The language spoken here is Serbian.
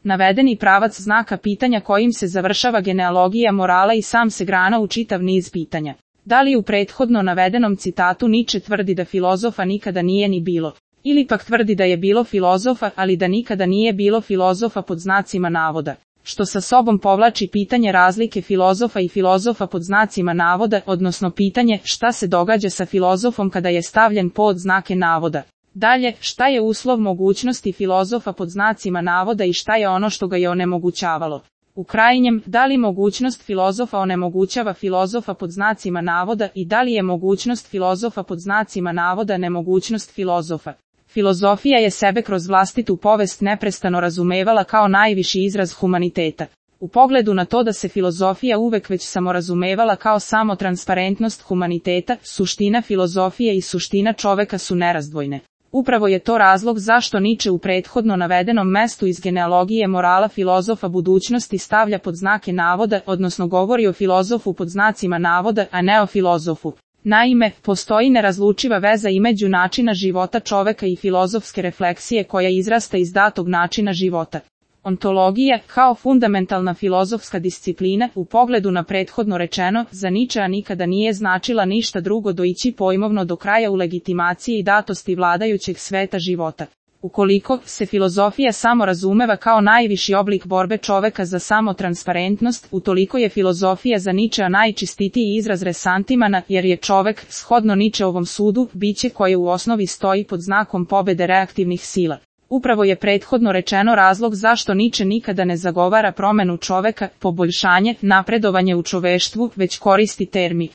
Navedeni pravac znaka pitanja kojim se završava genealogija morala i sam se grana u čitav niz pitanja. Da li u prethodno navedenom citatu Niče tvrdi da filozofa nikada nije ni bilo? Ili pak tvrdi da je bilo filozofa, ali da nikada nije bilo filozofa pod znacima navoda? Što sa sobom povlači pitanje razlike filozofa i filozofa pod znacima navoda, odnosno pitanje šta se događa sa filozofom kada je stavljen pod znake navoda. Dalje, šta je uslov mogućnosti filozofa pod znacima navoda i šta je ono što ga je onemogućavalo? U krajnjem, da li mogućnost filozofa onemogućava filozofa pod znacima navoda i da li je mogućnost filozofa pod znacima navoda nemogućnost filozofa? Filozofija je sebe kroz vlastitu povest neprestano razumevala kao najviši izraz humaniteta. U pogledu na to da se filozofija uvek već samorazumevala kao samo transparentnost humaniteta, suština filozofije i suština čoveka su nerazdvojne. Upravo je to razlog zašto Niče u prethodno navedenom mestu iz genealogije morala filozofa budućnosti stavlja pod znake navoda, odnosno govori o filozofu pod znacima navoda, a ne o filozofu. Naime, postoji nerazlučiva veza između načina života čoveka i filozofske refleksije koja izrasta iz datog načina života. Ontologija, kao fundamentalna filozofska disciplina, u pogledu na prethodno rečeno, za Ničea nikada nije značila ništa drugo do ići pojmovno do kraja u legitimaciji i datosti vladajućeg sveta života. Ukoliko se filozofija samo razumeva kao najviši oblik borbe čoveka za samotransparentnost, utoliko je filozofija za Ničea najčistitiji izraz resantimana, jer je čovek, shodno Ničeovom sudu, biće koje u osnovi stoji pod znakom pobede reaktivnih sila. Upravo je prethodno rečeno razlog zašto Niče nikada ne zagovara promenu čoveka, poboljšanje, napredovanje u čoveštvu, već koristi termin